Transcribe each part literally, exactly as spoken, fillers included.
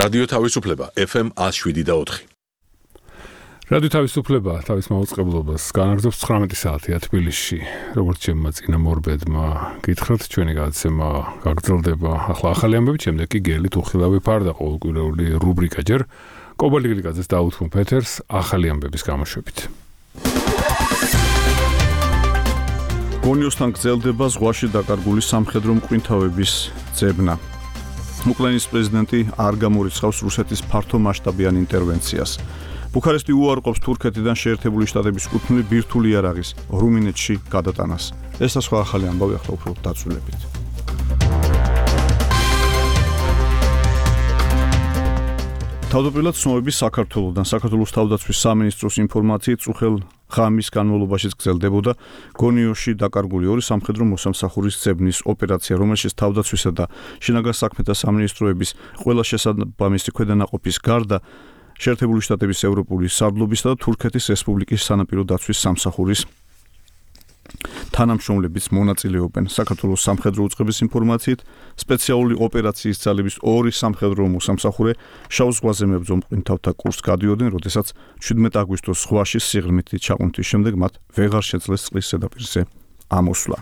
რადიო თავისუფლება ეფ ემ one oh seven და four. რადიო თავისუფლება თავის მაუწყებლობას განაგრძობს ცხრამეტი საათია თბილისში. როგორც ჩემმა წინა მორბედმა გითხრათ, ჩვენი გადაცემა გაგრძელდება ახლა ახალი ამბებით, შემდეგ კი გელი თუხილავი ფარდა ყოველკვირეული რუბრიკა ჯერ კობალიგლიკაძეს დაუთმო პეთერს ახალი ამბების გამოშვებით. გონიოსთან გრძელდება ზღვაში დაკარგული სამხედრო მკვინთავების ძებნა. უკრაინის პრეზიდენტი არ გამორიცხავს რუსეთის ფართომასშტაბიან ინტერვენციას. ბუქარესტი უარყოფს თურქეთიდან შეერთებული შტატების კუთვნილი ბირთვული იარაღის რუმინეთში გადატანას. ეს და სხვა ახალი ამბავი ახლა უფრო დაწვრილებით. თავდაპირველად ცნობები საქართველოსთან საქართველოს თავდაცვის სამინისტროს ინფორმაციით წუხელ ღამის განმავლობაში გრძელდებოდა გონიოში დაკარგული ორი სამხედრო მოსამსახურის ძებნის ოპერაცია, რომელშიც თავდაცვისა და შინაგან საქმეთა სამინისტროების ყველა შესაბამისი ქვედანაყოფის გარდა შეერთებული შტატების ევროპული სარდლობისა და თურქეთის რესპუბლიკის სანაპირო დაცვის სამსახურის თანამშრომლებიც მონაწილეობენ. საქართველოს სამხედრო უწყების ინფორმაციით სპეციალური ოპერაციის ძალების ორი სამხედრო მოსამსახურე შავ ზღვაზე მებრძოლ მკვინთავთა კურსს გადიოდნენ, როდესაც შვიდმეტი აგვისტოს ზღვაში სიღრმითი ჩაყუნთის შემდეგ მათ ვეღარ შეძლეს წყლის ზედაპირზე ამოსვლა.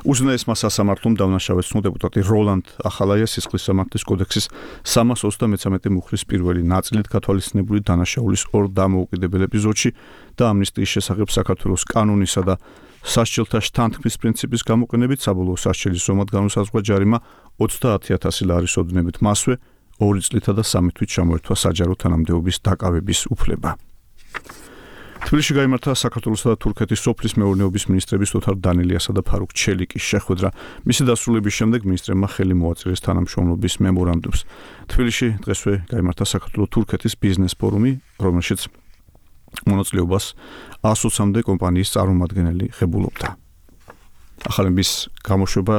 უზენაესმა სასამართლომ დავნაშავეს დეპუტატი როლანდ ახალაია სისხლის სამართლის კოდექსის სამას ოცდამეცამეტე მუხლის პირველი ნაწილით გათვალისწინებული დანაშაულის ორ დამოუკიდებელ ეპიზოდში და ამნისტიის შესახებ საქართველოს კანონისა და სასჯელთა შთანთქმის პრინციპის გამოყენებით საბოლოო სასჯელის ზომად განუსაზღვრა ჯარიმა ოცდაათი ათასი ლარის ოდენობით, მასვე ორი წლითა და სამი თვით ჩამოერთვა საჯარო თანამდებობის დაკავების უფლება. თბილისში გაიმართა საქართველოსა და თურქეთის სოფლის მეურნეობის მინისტრების ოთარ დანელიასა და ფარუქ ჩელიკის შეხვედრა. მისი დასრულების შემდეგ მინისტრებმა ხელი მოაწერეს თანამშრომლობის მემორანდუმს. თბილისში დღესვე გაიმართა საქართველო-თურქეთის ბიზნეს ფორუმი, რომელშიც მონაწილეობას ას ოცამდე კომპანიის წარმომადგენელი ღებულობდა. ახალების გამოშვება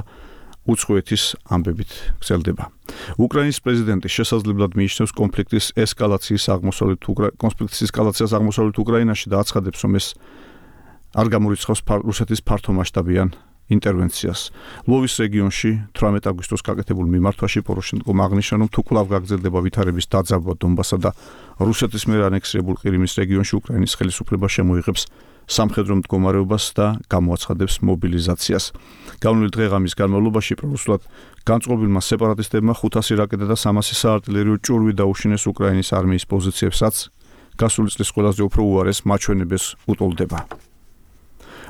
უცხოეთის ამბებით გრძელდება. უკრაინის პრეზიდენტი შესაძლებლად მიიჩნევს კონფლიქტის ესკალაციის აღმოსავლეთ კონფლიქტის ესკალაციას აღმოსავლეთ უკრაინაში და აცხადებს, რომ ეს არ გამორიცხავს რუსეთის ფართომასშტაბიან ინტერვენციას. ლვოვის რეგიონში თვრამეტი აგვისტოს გაკეთებულ მიმართვაში პოროშენკომ აღნიშნა, რომ თუ კვლავ გაგრძელდება ვითარების დაძაბვა დონბასსა და რუსეთის მიერ ანექსირებულ ყირიმის რეგიონში უკრაინის ხელისუფლება შემოიღებს სამხედრო მდგომარეობას და გამოაცხადებს მობილიზაციას. განვლილი დღე-ღამის განმავლობაში პრორუსულად განწყობილმა სეპარატისტებმა ხუთასი რაკეტა და სამასი საარტილერიო ჭურვი დაუშინეს უკრაინის არმიის პოზიციებსაც. გასული წლის ყველაზე უფრო უარეს მაჩვენებელს უტოლდება.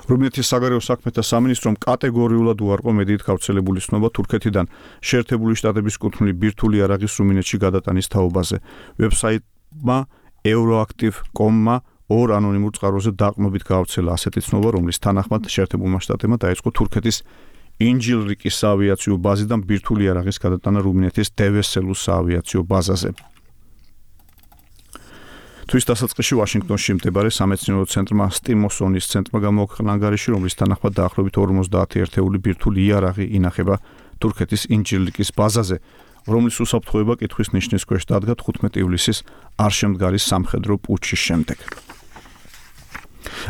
რუმინეთის საგარეო საქმეთა სამინისტრომ კატეგორიულად უარყო მედიით გავრცელებული ცნობა თურქეთიდან შეერთებული შტატების კუთვნილი ბირთვული იარაღის რუმინეთში გადატანის თაობაზე. ვებსაიტმა euroactiv dot com-მა ორ ანონიმურ წყაროზე დაყრდნობით გავრცელა ასეთი ცნობა, რომლის თანახმად შეერთებულმა შტატებმა დაიწყო თურქეთის ინჯილრიკის საავიაციო ბაზიდან ბირთვული იარაღის გადატანა რუმინეთის დევესელუს საავიაციო ბაზაზე. თვის დასაწყისში ვაშინგტონში მდებარე სამეცნიერო ცენტრმა სტიმოსონის ცენტრმა გამოაქვეყნა ანგარიში, რომლის თანახმად დაახლოებით ორმოცდაათი ერთეული ბირთვული იარაღი ინახება თურქეთის ინჯილრიკის ბაზაზე, რომლის უსაფრთხოება კითხვის ნიშნის ქვეშ დადგა თხუთმეტი ივლისის არ შემდგარი სამხედრო პუტჩის შემდეგ.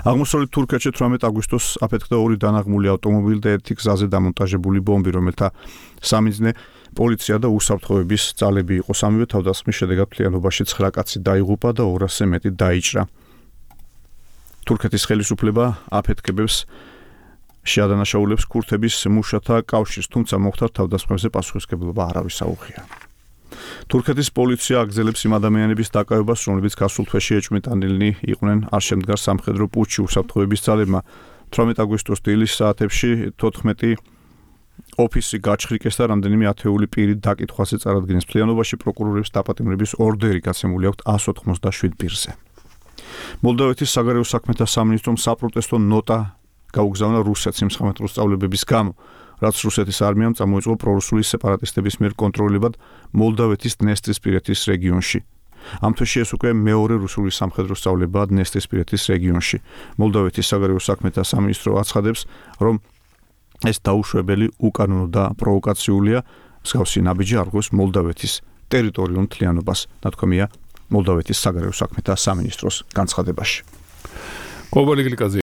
აღმოსავლეთ თურქეთში თვრამეტი აგვისტოს აფეთქდა ორი დანაღმული ავტომობილი და ერთი გზაზე დამონტაჟებული ბომბი, რომელთა სამიზნე პოლიცია და უსაფრთხოების ძალები იყო. სამივე თავდასხმის შედეგად მთლიანობაში ცხრა კაცი დაიღუპა და ორასზე მეტი დაიჭრა. თურქეთის ხელისუფლება აფეთქებებს შეადანაშაულებს ქურთების მუშათა კავშირს, თუმცა მოხდარ თავდასხმებზე პასუხისმგებლობა არავის აუღია. თურქეთის პოლიცია აგრძელებს იმ ადამიანების დაკავებას, რომლებიც გასულ თვეში ეჭვმიტანილნი იყვნენ არ შემდგარ სამხედრო პუტჩში უსაფრთხოების ძალებმა. თვრამეტი აგვისტოს დილის საათებში თოთხმეტი ოფისი გაჩხრიკეს და რამდენიმე ათეული პირი დაკითხვაზე წარადგენეს. მთლიანობაში პროკურორებს დაპატიმრების ორდერი გაცემული აქვთ ას ოცდაშვიდ პირზე. მოლდოვეთის საგარეო საქმეთა სამინისტრომ საპროტესტო ნოტა გაუგზავნა რუსეთს იმ სამხედრო სწავლებების გამო, რაც რუსეთის არმიამ წამოიწყო პრორუსული სეპარატისტების მიერ კონტროლებად მოლდოვეთის დნესტრისპირეთის რეგიონში. ამ თვეში ეს უკვე მეორე რუსული სამხედრო სწავლებაა დნესტრისპირეთის რეგიონში. მოლდოვეთის საგარეო საქმეთა სამინისტრო აცხადებს, რომ ეს დაუშვებელი, უკანონო და პროვოკაციულია, მსგავსი ნაბიჯი არ გვევს მოლდოვეთის ტერიტორიულ მთლიანობას, ნათქვამია მოლდოვეთის საგარეო საქმეთა სამინისტროს განცხადებაში. კობალიგლიკაძე